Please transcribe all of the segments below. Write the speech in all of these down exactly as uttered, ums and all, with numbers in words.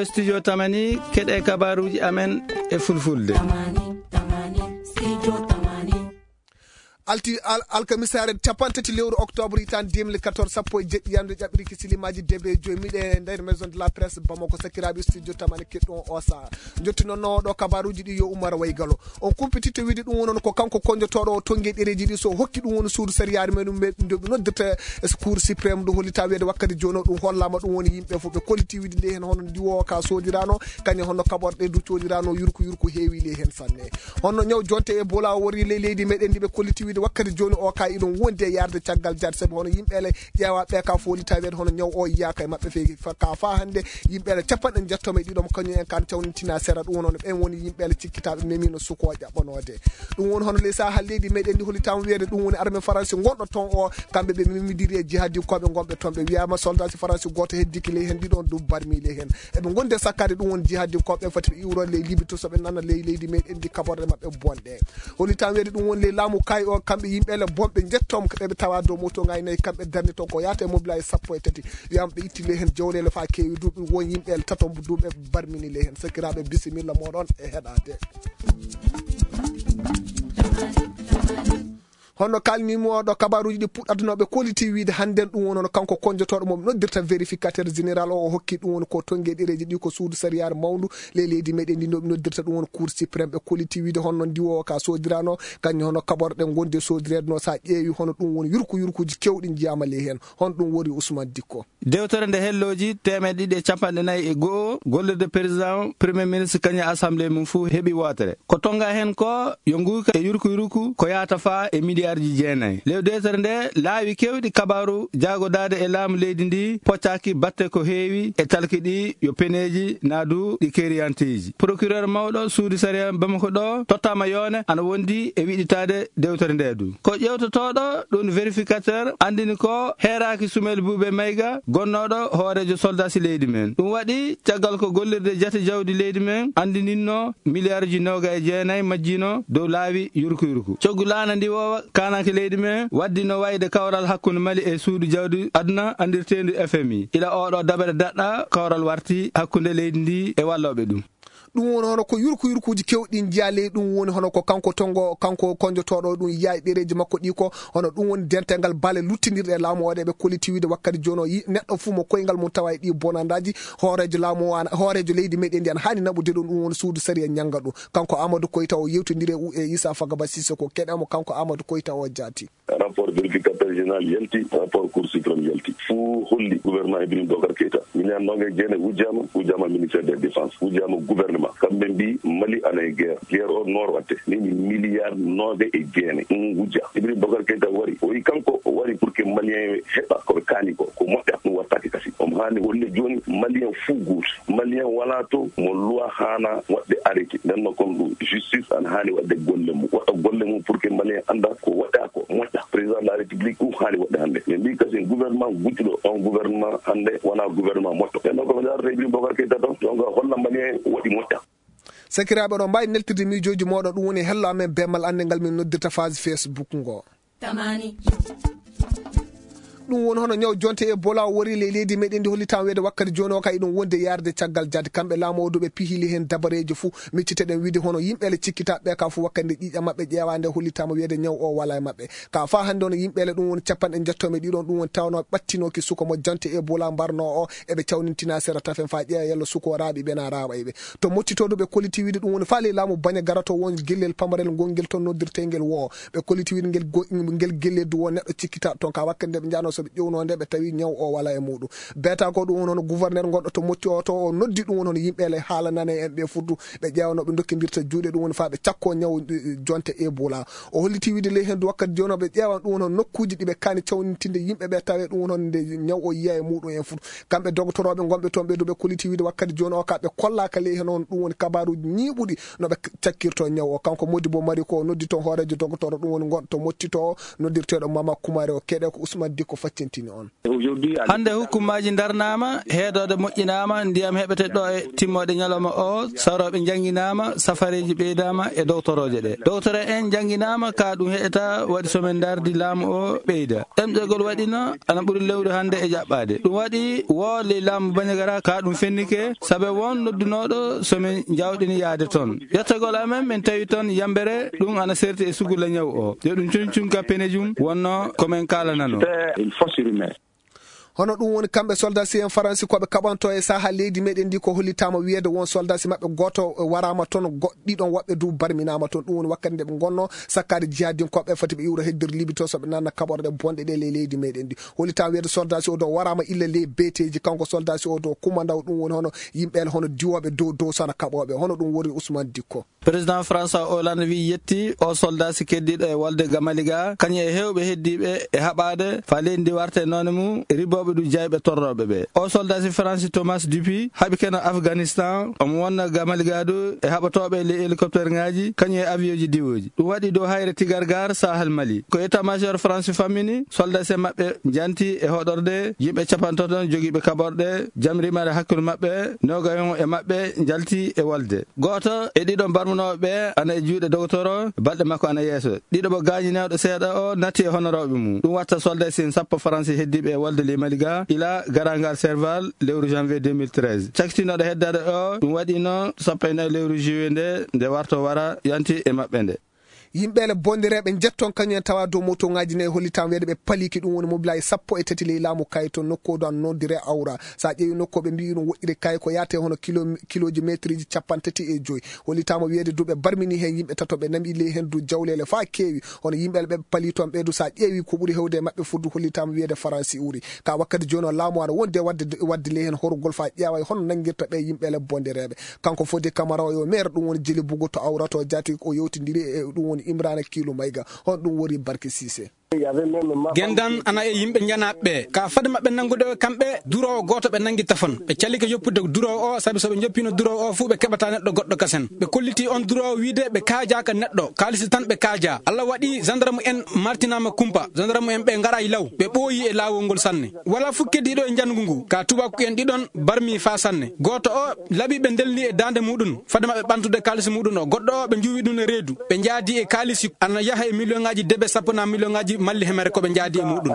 Studio Tamani, keɗe kabaruji amen e fulfulde. Alti al-, alkamisaare capanɗe tati lewru octobre hitaande deux mille quatorze, sappo e jeɗɗi yande ƴaɓɓiriki silimaaji debe joyi, miɗe nder maison de la presse Bamako, sakiraaɓe studio Tamani keɗɗon o saha. Jotti noon no ɗo kabaruji ɗi yo Umar Waygalo. On kumpititte wiide ɗum woni ko kanko konjotooɗo o tonnge ɗereji ɗi so hokki ɗum woni suudu sariyaare men ɗum ɓe noddirta cour suprême ɗum hollita wiide wakkati jooni o ɗum hollama ɗum woni yimɓe fof ɓe kolliti wiide nde heen hono ndiwo ka sodirano kañum hono kaɓorɗe du codirano yurku yurku heewi ley heen sanne. Honno ñaw jonte e bola o wori ley leydi meɗen ndi ɓe kolliti wiide wakkati jooni o ka iɗum wondi e yarde caggal jaade sabi hono yimɓe ele ƴeewa ɓe ka fof hollita wiide hono ñaw o yiyaka e maɓɓe feewi fa-, ka fa hannde yimɓe ele capanɗe njettoma e ɗiɗo mo kañum en kan cawnitina sera ɗum woni ɓen woni yimɓe ele cikkitaɓe memino suko o ƴaɓɓanode. Ɗum woni hono ley saha leydi meɗen ndi hollitama wiyeede ɗum woni armée faransi gonɗo ton o kamɓe ɓe memidiri e jihadinkoɓe gonɓe ton ɓe wiyama soldasi faransi goto heddiki ley hen ɗiɗon ɗum barmi ley hen. Eɓe gondi e sakkade ɗum woni jihadinkoɓe foti ɓe iwrode ley libi to soɓe nana ley leydi meɗen ndi kaɓorɗe maɓɓe bonɗe. Hollitama wiyeede ɗum woni ley laamu kay o kamɓe yimɓe ele bonɓe jettom ɓeɓe tawa dow moto ngaynayi kamɓe darni ton ko yahata e mobilage sappo e tati. Wiyama ɓe itti ley hen jawlele fa kewi duuɓi won yimɓe ele tato duuɓe barmini ley hen sakiraɓe bisimilla moɗon e heɗade. Honno kalnimo ɗo kabaruji ɗi puɗɗata no ɓe koliti wiide hannden ɗum woni hono kanko konjotoɗo mo noddirta vérificateur général o o hokki ɗum woni ko tonge ɗereji ɗi ko suudu sariyare mawndu ley leydi meɗen ndi no ɓe noddirta ɗum woni cour suprême ɓe koliti wiide honno ndiwowo ka sodirano kañum hono kaɓorɗe gonde sodirede no sa ƴeewi hono ɗum woni yurku yurkuji kewɗi jiyama ley hen. Hon ɗum wori Ousmane Dikko. Dewtere nde hellooji teemeɗe ɗiɗi e capanɗe nayi e go'o gollirde président premier ministre kañum assemblée mum fuu heɓi wootere. Ko tonga heen ko yo nguuka e yurku yurku ko yahata faa e miliyaarji jeenayi. Ley dewtere nde laawi keewɗi kabaaru jaagodaade e laamu leydi ndi poccaaki batte ko heewi e talki ɗi yo peneeji naadu ɗi keeriyanteeji. Procureur mawɗo suudu sariya Bamako ɗo tottaama yoone ana wondi e wiɗitaade dewtere nde du. Ko ƴeewtotooɗo ɗum vérificateur anndini ko heeraaki Sumel Buuɓe Mayga gonnooɗo hooreejo soldasi leydi men. Ɗum waɗi caggal ko gollirde jate jawdi leydi men anndininno miliyaarji nooga e jeenayi majjino dow laawi yurku yurku. Coggu laana ndiwoowa kaananke leydi men waddino wayde kawral hakkunde Mali e suudu jawdi aduna anndirteendu F M I. Ila oɗo daɓere daɗɗa kawral warti hakkunde leydi ndi e wallooɓe ɗum. Ɗum woni hono ko yurku yurkuuji kewɗi njiya ley ɗum woni hono ko kanko tongo kanko konjotoɗo ɗum yiya e ɗereji makko ɗi ko hono ɗum woni dental ngal baale luttinirɗe e laamu o waɗe ɓe kolliti wiide wakkati jono yi neɗɗo fuu mo koyngal mum tawa e ɗi bonandaji hoorejo laamu o ana hoorejo leydi meɗen ndi ana hani naɓude ɗum ɗum woni suudu sariya ñanga ɗum. Kanko Amadou Koyta o yewtidiri e U E Issa Fagaba Sissoko keɗamo kanko Amadou Koyta o jaati. Rapport vérificateur général yalti, rapport Cour suprême yalti. Fuu holli gouvernement Ibrahim Bokar Keita. Milliard nonga e jeene wujjama, wujjama ministère de la défense, wujjama gouvernement. Kamɓe mbi Mali ana e guerre. Guerre o noor watte. Nini milliard nonga e jeene. Ɗum wujja. Ibrahim Bokar Keita wari. O wi kanko o wari pour que Malien heɓa ko ɓe kaani ko. Ko moƴƴa ɗum wattaki kasi. Omo haani holle joni Malien fuu goto. Malien wala to mo loi haana waɗde arrêté. Nden no kon ɗum justice ana haani waɗde golle mum. Waɗa golle mum pour que Malien anda ko waɗa ko moƴƴa. Président de la République ɗum haali waɗde hannde. Min mbii kasi gouvernement gujjuɗo, on gouvernement hannde wonaa gouvernement moƴƴo. Ɓen ɗon ko ɓe ndarata e Ibrahim Bokar Keita toon, donc holla Malien en waɗi moƴƴa. Sakiraaɓe, oɗon mbaawi neltirde miijooji mooɗon, ɗum woni hello amen beemal annde ngal min noddirta phase Facebook ngo. Tamani. Ɗum woni hono ñaw jonte e bola o wori ley leydi meɗen ndi hollitaama weede wakkati jooni o ka iɗum wonde yaarde caggal jaade kamɓe laamu o duɓe pihili heen dabareeji fuu. Micciteɗen wiide hono yimɓe ele cikkitaaɓe ɓe ka fof wakkati nde ƴiiƴam maɓɓe ƴeewaande hollitaama wiyeede ñaw o wala e maɓɓe. Ka faa hannde hono yimɓe ele ɗum woni capanɗe njettoo e ɗiɗon ɗum woni tawnoo ɓattinooki suka mo jante e bola mbarnoo o eɓe cawnintina sera tafen faa ƴeewa yalla suka o raaɓi ɓe na raaɓa e ɓe. To mottitoodu ɓe kolliti wiide ɗum woni faa ley laamu baña garato won gellel pamarel ngol ngel toon noddirtee ngel woo. Ɓe kolliti wiide ngel go-, ngel gellel du won neɗɗo cikkitaaɗo toon ka wakkati nde ɓe njahnoo so ɓe ƴeewnoo nde ɓe tawi ñaw o wala e muuɗum. Beeta ko ɗum woni hono gouverneur gonɗo to motti o to o noddi ɗum woni hono yimɓe ele haala nane en ɓe fuddu ɓe ƴeewa no ɓe ndokkindirta juuɗe ɗum woni faa ɓe cakkoo ñaw, eh, jonte Ebola. O holliti wiide ley heen du wakkati jooni o ɓe ƴeewan ɗum woni hono nokkuuji ɗi ɓe kaani cawnintinde yimɓe ɓe tawe ɗum woni hono nde ñaw o yiya e muuɗum en fuddu. Kamɓe dogotoroɓe gonɓe toon ɓe du ɓe kolliti wiide wakkati jooni o ka ɓe kollaaka ley heen on ɗum woni kabaruuji ñiiɓuɗi no ɓe cakkirto ñaw o. Kanko Modibo Mari ko o noddi toon hooreejo dogotoro ɗum woni gonɗo to mottito o noddirteeɗo Mama Kumare o keɗe ko Ousmane Dikko. faccintini on. Hannde hukkumaaji ndarnaama, heedooɗe moƴƴinaama, ndiyam heɓete ɗo e timmooɗe ñalawma o, sawrooɓe njannginaama, safareeji ɓeydaama e dowtorooje ɗe. Dowtoro en njannginaama, ka ɗum heƴata waɗi so min ndardi laamu o ɓeyda. Ɗemɗegol waɗino ana ɓuri lewru hannde e jaɓɓaade. Ɗum waɗi wo ley laamu Bandiagara ka ɗum fennike, sabe won noddunooɗo so min njawɗini yaade toon. Yettagol amen, min tawi toon yambere, ɗum ana serti e sugula ñaw o. Yo ɗum cuncun ka penejum wonno ko min kaalanano. Hono ɗum woni kamɓe soldat si en Faransi ko ɓe kaɓanto e saha leydi meɗen ndi ko hollitama wiyede won soldat si maɓɓe goto waraama toon, go-, ɗiɗon woɓɓe du barminaama toon. Ɗum woni wakkati nde ɓe ngonno sakkade jihadinkoɓe foti ɓe iwra heddir Libi to so ɓe nanna kaɓorɗe bonɗe ɗe ley leydi meɗen ndi. Hollitama wiyede soldat si o do waraama illa ley beteji kanko soldat si o do kumandaw ɗum woni hono yimɓe hono diwoɓe dow dow sana kaɓoɓe hono ɗum woni Ousmane Dikko. Président François Hollande wi yetti o soldat si keddiɗo e walde Gamaliga, kañum e hewɓe heddiɓe e haɓade fa leydi ndi warte none mum e riboɓe du jayɓe torroɓe ɓe. O soldat si Faransi Thomas Dupuy haɓi keno Afghanistan, omo wonna Gamaliga du e haɓatoɓe e ley hélicoptère ngaji, kañum e avion ji diwoji. Ɗum waɗi dow hayre Tigargar Sahel Mali. Ko état-major Faransi fammini, soldat si maɓɓe janti e hoɗorde yimɓe capantato jogiiɓe kaɓorɗe, jamrimare hakkunde maɓɓe, nogayon e maɓɓe jalti e walde. Gooto e ɗiɗo barmunooɓe ɓe ana e juuɗe dogotoro, balɗe makko ana yeeso. Ɗiɗo mo gaañinooɗo seeɗa o natti e honorooɓe mum. Ɗum watta soldat si en sappo Faransi heddiiɓe e walde ley Mali ga, ila garangal Serval lewru janvier deux mille treize. Cakkitinooɗo heddaade o, ɗum waɗino sappo e nayi lewru juillet nde, nde warto wara yanti e maɓɓe nde. Yimɓe le bondireɓe jetton kañum en tawa dow moto ngaji nayi hollitam weede ɓe paliki ɗum woni mobilaaji sappo e tati ley laamu kayi to nokku o ɗon nodire awra. Sa ƴeewi nokku o ɓe mbiyi ɗum woɗɗiri kayi ko yaate hono kilo, kiloji metriji capanɗe tati e joyi. Hollitama wiyeede du ɓe barmini hen yimɓe tato ɓe nami ley hen du jawlele fa keewi. Hono yimɓe le ɓe pali toon ɓe du sa ƴeewi ko ɓuri hewde e maɓɓe fuddu hollitama wiyeede Faransi uri. Ka wakkati jooni o laamu aɗa wonde wadde, wadde ley hen horugol fa ƴeewa e hono nangirta ɓe yimɓe le bondireɓe. Kanko Fodé Camara o yo maire ɗum woni Jeli Bugu to Awrato Jaati o yewtidiri e ɗum woni Imrana Kiilu Mayga. Hon ɗum woni Barke Sise. Gendan ana e yimɓe njanaaɓe ɓe. Ka fade maɓɓe nanngude o kamɓe, duroowo gooto ɓe nanngi tafon. Ɓe calike yoppude duroowo o, sabi so ɓe njoppino duroowo o fuu ɓe keɓata neɗɗo goɗɗo kasen. Ɓe kolliti on duroowo wiide ɓe kaajaaka neɗɗo, kaalisi tan ɓe kaaja. Allah waɗi gendarme en martinaama kumpa. Gendarme en ɓe ngaraay law. Ɓe ɓooyi e laawol ngol sanne. Wala fuu keddiiɗo e njanngu ngu. Ka tubaaku en ɗiɗon barmi faa sanne. Gooto o laɓi ɓe ndelni e daande muɗum. Fade maɓɓe ɓantude kaalisi muɗum o. Goɗɗo o ɓe njuwi ɗum e reedu. Ɓe njaadi e kaalisi ana yaha e miliyonŋaaji debe sappo na miliyonŋaaji malli hemere ko ɓe njaadi e muɗum.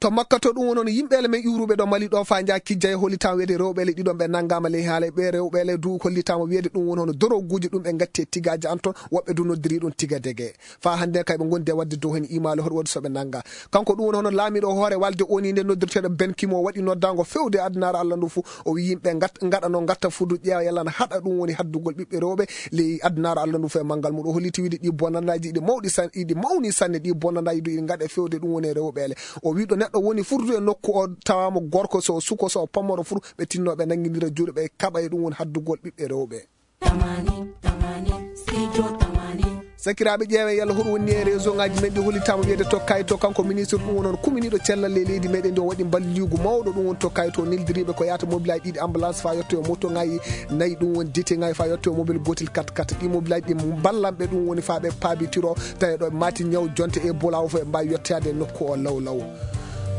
To Makka to ɗum woni yimɓe ele men iwruɓe ɗo Mali ɗo fa nja kijja e hollitama wiyede rewɓe ele ɗiɗon ɓe nanngama ley haala ɓe rewɓe ele du hollitama wiyede ɗum woni hono doroguji ɗum ɓe gatti e tigaji an toon woɓɓe du noddiri ɗum tiga dege. Fa hannde kay ɓe ngondi e wadde dow heen imaali hoɗo waɗi so ɓe nannga. Kanko ɗum woni hono laamiiɗo hoore walde O N U nde noddirteeɗo Ben Ki-moon waɗi noddaango fewde addunaare Allah ndu fof. O wiyi yimɓe ngat-, ngaɗa no ngatta fudu ƴeewa yalla na haɗa ɗum woni haddugol ɓiɓɓe rewɓe ley addunaare Allah ndu fof e manngal mum. O holliti wiide ɗi bonandaaji ɗi mawɗi san-, ɗi mawni sanne, ɗi bonandaaji du ɗi ngaɗe fewde ɗum woni e rewɓe ele. O wi ɗo neɗɗo woni furdu e nokku o tawama gorko so o suko so o pammoro furu ɓe tinno ɓe nanngindira juuɗe ɓe kaɓa e ɗum woni haddugol ɓiɓɓe rewɓe. Tamani, tamani, studio tamani. Sakiraaɓe, ƴeewe yalla hoɗum woni e réseau ngaji men ɗi hollitama wiyede tokkayi to kanko ministre ɗum woni on kuminiɗo cellal e leydi meɗen ndi o waɗi mballigu mawɗo ɗum woni tokkayi to neldiriɓe ko yahata mobilaji ɗiɗi ambulance fa yetto e moto ngayi nayi ɗum woni dite ngayi fa yetto e mobile gotel kat kat ɗi mobilaji ɗi ballanɓe ɗum woni fa ɓe paabitiro tawi ɗo mati ñaw jonte e bolawo fof ɓe mbawi yettade e nokku o law law.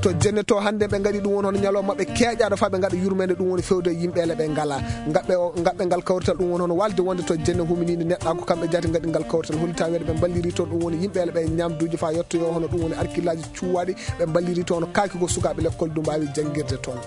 To jenne to hannde ɓe ngaɗi ɗum woni hono ñalawma maɓɓe keeƴaɗo fa ɓe ngaɗa yurmede ɗum woni fewde yimɓe ele ɓe ngala ngaɓɓe o ngaɓɓe ngal kawrital ɗum woni hono walde wonde to jenne humininde neɗɗa ko kamɓe jaati ngaɗi ngal kawrital hollita weɗe ɓe mballiri toon ɗum woni yimɓe ele ɓe ñamduji fa yettoyo hono ɗum woni arkillaji cuwaɗi ɓe mballiri toon kaaki ko sukaɓe lekkol du mbawi janngirde toon.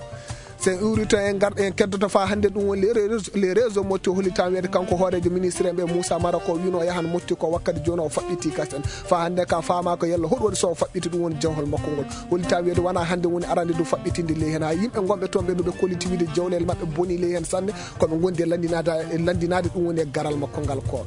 So en iwri to en ngar en keddoto fa hannde ɗum woni les réseaux, les réseaux motti hollita wiyede kanko hoorejo ministre en ɓe Moussa Mara ko wino yahan motti ko wakkati joni o faɓɓiti kasen fa hannde ka fama ko yalla hoɗum waɗi so o faɓɓiti ɗum woni jawhol makko ngol hollita wiyede wona hannde woni arande du faɓɓitinde ley hen ha yimɓe gonɓe toon ɓe no ɓe kolliti wiide jawlele maɓɓe boni ley hen sanne koɓe gondi e landinade e landinade ɗum woni e garal makko ngal ko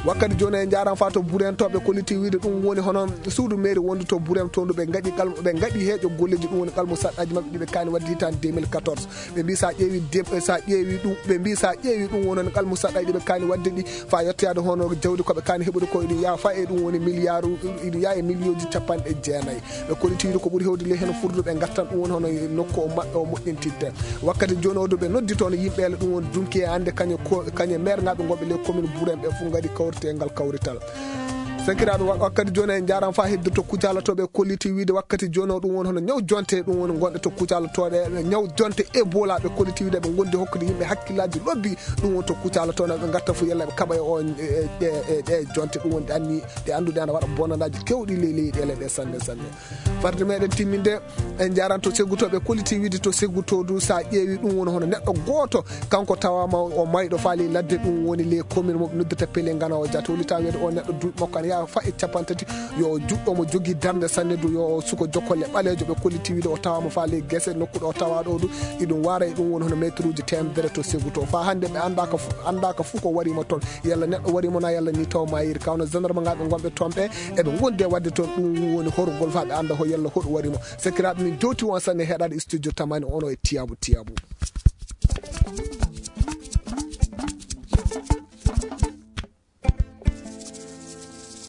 wakkati joni e jaran fa to buren to ɓe kolliti wiide ɗum woni hono suudu mairie wondu to buren to ndu ɓe gaɗi gal ɓe gaɗi heeƴo golleji ɗum woni qalmu saɗɗaji maɓɓe ɗiɓe kani wadde hitande deux mille quatorze ɓe mbi sa ƴeewi dem sa ƴeewi ɗum ɓe mbi sa ƴeewi ɗum wonon qalmu saɗɗaji ɗiɓe kani wadde ɗi fa yettoyade hono jawdi koɓe kani heɓude ko iɗum yaa fa e ɗum woni milliard iɗum yaa e million ji capanɗe jeenayi ɓe kolliti wiide ko ɓuuri hewde ley heno furduɓe gattan ɗum woni hono nokku o maɓɓe o moƴƴintitte wakkati joni o du ɓe noddi toon yimɓe ele ɗum woni dunki e ande kañe ko kañe maire ngaɓe gonɓe ley commune buren ɓe fof gaɗi kawrite e ngal kawrital Sakiraaɓe, wa- wakkati jooni en njaaraama faa hedde to Kucala to, ɓe kolliti wiide wakkati jooni o ɗum woni hono ñaw jonte, ɗum woni ngonɗe to Kucala to, ɗe ñaw jonte Ebola ɓe kolliti wiide ɓe ngondi hokkude yimɓe hakkillaaji lobbi, ɗum woni to Kucala to, no ɓe ngatta fof yalla ɓe kaɓa e o, e, e, e, e jonte, ɗum woni ɗe anni, ɗe annduɗe ana waɗa bonanaaji kewɗi ley leyɗeele ɗe sanne sanne. Farde meɗen timminde, en njaran to Seggu to, ɓe kolliti wiide to Seggu to du, sa ƴeewi ɗum woni hono neɗɗo gooto, kanko tawaama o mayɗo faali ladde, ɗum woni les communes mo ɓe noddata Pelé Ngana o Diatta. Hollitaa wiide o neɗɗo duuɓi makko ana yaha fa e capanɗe tati, yo juɗɗo mo jogii darnde sanne du, yo suko jokkolle ɓaleejo, ɓe kolliti wiide o tawaama faali gese nokku ɗo tawa ɗo du, iɗum wara e ɗum woni hono mètre uji teemedere to Seggu to. Fa hannde ɓe anndaaka fu-, anndaaka fuu ko wari mo toon. Yalla neɗɗo wari mo na yalla ni taw mayiri. Kawno gendarme ngaaɓe ngonɓe toon ɓe, eɓe ngondi e waɗde toon ɗum woni horugol fa ɓe annda ho yalla hoɗo wari mo. Sakiraaɓe, min jowti on sanne heɗaade studio tamani ono e Tiyaabu Tiyaabu.